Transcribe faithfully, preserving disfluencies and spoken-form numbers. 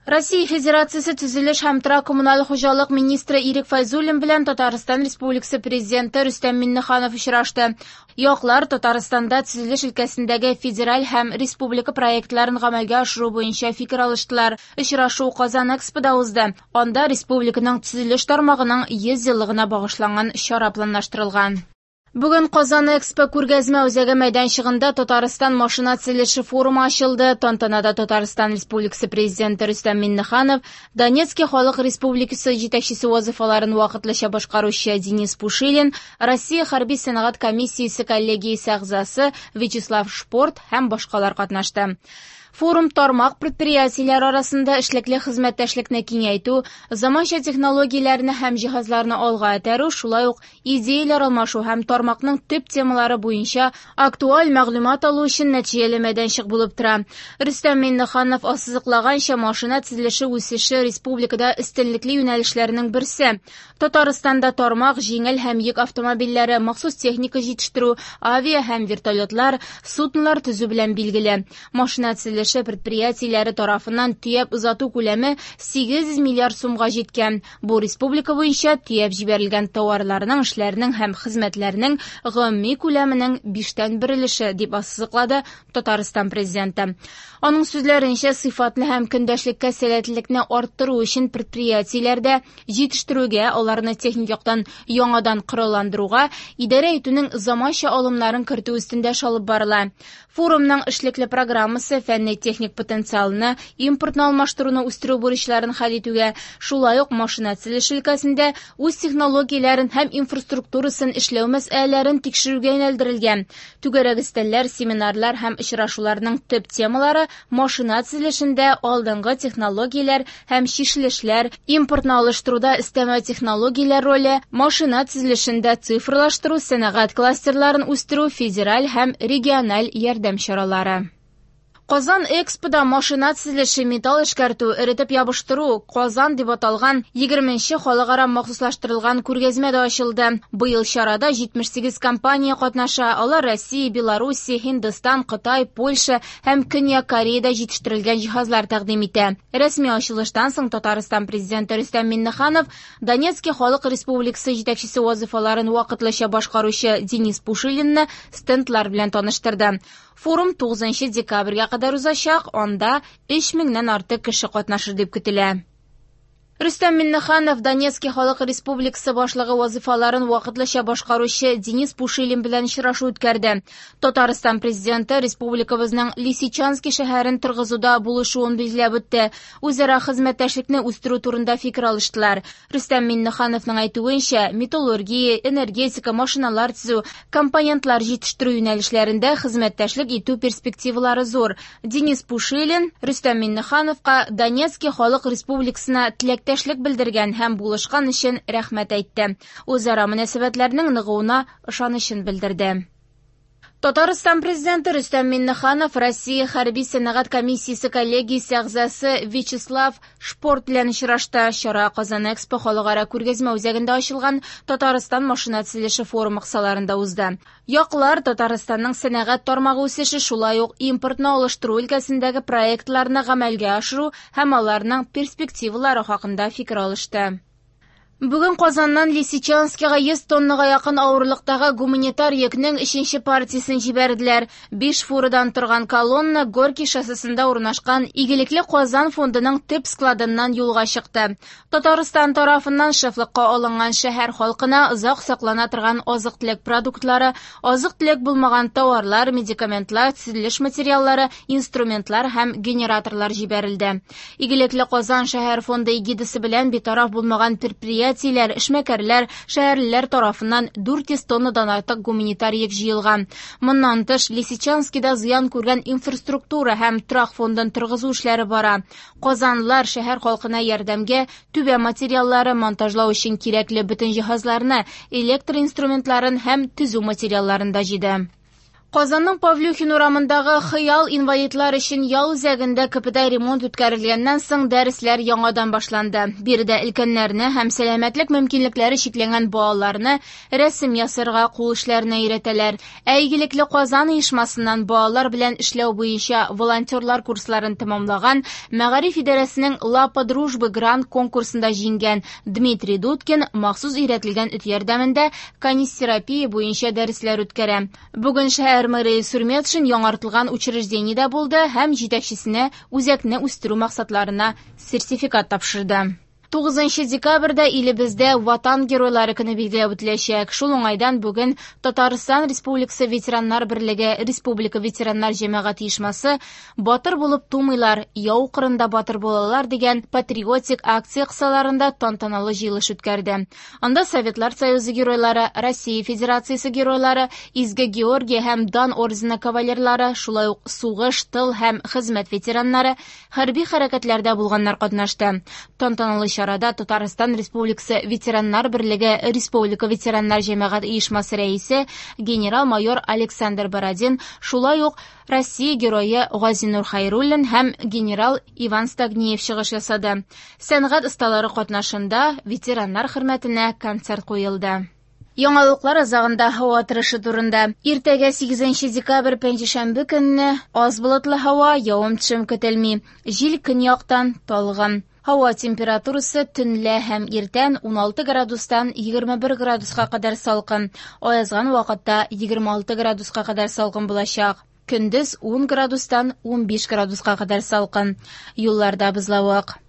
Россия Федерациясе төзелеш һәм торак-коммуналь хуҗалык министры Ирек Фәйзуллин белән Татарстан Республикасы Президенты Рөстәм Миңнеханов очрашты. Яклар Татарстанда төзелеш өлкәсендәге федераль һәм республика проектларын гамәлгә ашыру буенча фикер алыштылар. Очрашу Казан Экспода узды. Анда республиканың төзелеш тармагының йөз еллыгына багышланган чара планлаштырылган. Бүген Казан Экспо күргәзмә үзәге мәйданчыгында Татарстан машина төзелеше форумы ачылды. Тантанада Татарстан Республикасы Президенты Рөстәм Миңнеханов, Донецки Халык Республикасы җитәкчесе вазифаларын вакытлыча башкаручы Денис Пушилин, Россия хәрби сәнәгать комиссиясе коллегиясе әгъзасы Вячеслав Шпорт һәм башкалар катнашты. Форум тармак предприятиеләре арасында эшлекле хезмәттәшлекне киңәйтү, заманча технологияләрне һәм җиһазларны алга этәрү, шулай ук идеяләр алмашу һәм тармакның төп темалары буенча актуаль мәгълүмат алу өчен нәтиҗәле мәйданчык булып тора. Рөстәм Миңнеханов ассызыклаганча, машина төзелеше үсеше республикада өстенлекле юнәлешләрнең берсе. Татарстанда тармак җиңел һәм йөк автомобильләре, махсус техника җитештерү, авиа һәм вертолетлар, суднолар төзү белән билгеле. Машина төзелеше предприятиеләре тарафыннан төяп озату күләме сигез йөз миллиард сумга җиткән. Бу республика буенча төяп җибәрелгән товарларның, эшләрнең һәм хезмәтләрнең гомуми күләменең биштән бер өлеше, дип ассызыклады Татарстан президенты. Аның сүзләренчә, сыйфатлы һәм көндәшлеккә сәләтлелекне арттыру өчен предприятиеләрдә җитештерүгә, аларны техник яктан яңадан коралландыруга, идарә итүнең заманча алымнарын кертү өстендә эш алып барыла. Форумның эшлекле программасы фәнни техник потенциалны, импортны алмаштыруны үстерү бурычларын хәл итүгә, шулай ук машина төзелеше өлкәсендә үз технологияләрен һәм инфраструктурасын эшләү мәсьәләләрен тикшерүгә юнәлдерелгән. Түгәрәк өстәлләр, семинарлар һәм очрашуларның төп темалары машина төзелешендә алдынгы технологияләр һәм чишелешләр, импортны алыштыруда өстәмә технологияләр роле, машина төзелешендә цифрлаштыру, сәнәгать кластерларын үстерү, федераль һәм региональ ярдәм чаралары. Казан Экспода машина төзелеше, металл эшкәртү, эретеп ябыштыру, Казан дип аталган егерменче халыкара махсуслаштырылган күргәзмә дә ачылды. Быел чарада җитмеш сигез компания катнаша. Алар Россия, Белоруссия, Һиндстан, Кытай, Польша һәм Көньяк Кореяда җитештерелгән җиһазлар тәкъдим итә. Рәсми ачылыштан соң Татарстан президенты Рөстәм Миңнеханов Донецки Халык Республикасы җитәкчесе вазифаларын вакытлыча башкаручы Денис Пушилинны стендлар белән таныштырды. Форум тугызынчы декабрьгә кадәр узачак, анда өч меңнән артык кеше катнашыр дип көтелә. Рөстәм Миңнеханов Донецки Халык Республикасы башлыгы вазифаларын вакытлыча башкаручы Денис Пушилин белән очрашу үткәрде. Татарстан президенты республикабызның Лисичанский шәһәрен торгызуда булышуын билгеләп үтте. Үзара хезмәттәшлекне үстерү турында фикер алыштылар. Рөстәм Миңнехановның әйтүенчә, металлургия, энергетика, машиналар төзү, компонентлар җитештерү юнәлешләрендә хезмәттәшлек итү перспективалары зур. Денис Пушилин Рөстәм Миңнехановка Донецки Халык Республикасына теләк теләктәшлек белдергән һәм булышкан өчен рәхмәт әйтте. Үзара мөнәсәбәтләрнең ныгуына ышанычын белдерде. Татарстан президенты Рөстәм Миңнеханов Россия хәрби сәнәгать комиссиясе коллегиясе әгъзасы Вячеслав Шпорт белән очрашты. Чара Казан Экспо халыкара күргәзмә үзәгендә ачылган Татарстан машина төзелеше форумы кысаларында узды. Яклар Татарстанның сәнәгать тармагы үсеше, шулай ук импортны алыштыру өлкәсендәге проектларны гамәлгә ашыру һәм аларның перспективалары хакында фикер алышты. Бүген Казаннан Лисичанскига йөз тоннага якын авырлыктагы гуманитар йөкнең өченче партиясен җибәрделәр. Биш фурадан торган колонна Горький шоссесында урнашкан Игелекле Казан фондының төп складыннан юлга чыкты. Татарстан тарафыннан шефлыкка алынган шәһәр халкына озак саклана торган азык-төлек продуктлары, азык-төлек булмаган товарлар, медикаментлар, төзелеш материаллары, инструментлар һәм генераторлар җибәрелде. Игелекле Казан шәһәр фонды эгидасы белән битараф булмаган предприятиеләр, эшмәкәрләр, шәһәрлеләр тарафыннан дүрт йөз тоннадан артык гуманитар йөк җыелган. Моннан тыш, Лисичанскида зыян күргән инфраструктура һәм торак фондын торгызу эшләре бара. Казанлылар шәһәр халкына ярдәмгә түбә материаллары, монтажлау өчен кирәкле бөтен җиһазларны, электр инструментларын һәм төзү материалларын да җыйды. Казанның Павлюхин урамындагы Хыял инвалидлар өчен ял үзәгендә капиталь ремонт үткәрелгәннән соң дәресләр яңадан башланды. Биредә өлкәннәрне һәм сәламәтлек мөмкинлекләре чикләнгән балаларны рәсем ясарга, кул эшләренә өйрәтәләр. Ә Игелекле Казан оешмасыннан балалар белән эшләү буенча волонтерлар курсларын тәмамлаган, Мәгариф идарәсенең Лапа дружбы грант конкурсында җиңгән Дмитрий Дудкин махсус өйрәтелгән эт ярдәмендә канистерапия буенча дәресләр үткәрә. Бүген шәһәр мэры Илсур Метшин яңартылган учреждениедә булды һәм җитәкчесенә үзәкне үстерү максатларына сертификат тапшырды. Тугызынчы декабрьдә илебездә Ватан геройлары көне билгеләп үтеләчәк. Шул уңайдан бүген Татарстан Республикасы Ветераннар берлеге Республика ветераннар җәмәгать оешмасы «Батыр булып тумыйлар, яу кырында батыр булалар» дигән патриотик акция кысаларында тантаналы җыелыш үткәрде. Анда Советлар Союзы геройлары, Россия Федерациясе геройлары, Изге Георгий һәм Дан ордены кавалерлары, шулай ук сугыш, тыл һәм хезмәт ветераннары, хәрби хәрәкәтләрдә булганнар катнашты. Тантаналы чарада Татарстан Республикасы Ветераннар берлеге Республика ветераннар җәмәгать оешмасы рәисе генерал-майор Александр Бородин, шулай ук Россия герое Газинур Хайруллин һәм генерал Иван Стогниев чыгыш ясады. Сәнгать осталары катнашында ветераннар хөрмәтенә концерт куелды. Яңалыклар азагында һава торышы турында. Иртәгә сигезенче декабрь пәнҗешәмбе көнне аз болытлы һава, явым-төшем көтелми. Җил көньяктан талгын. Һава температурасы төнлә һәм иртән уналты градустан егерме бер градуска кадәр салкын. Аязган вакытта егерме алты градуска кадәр салкын булачак. Көндез ун градустан унбиш градуска кадәр салкын. Юлларда бозлавык.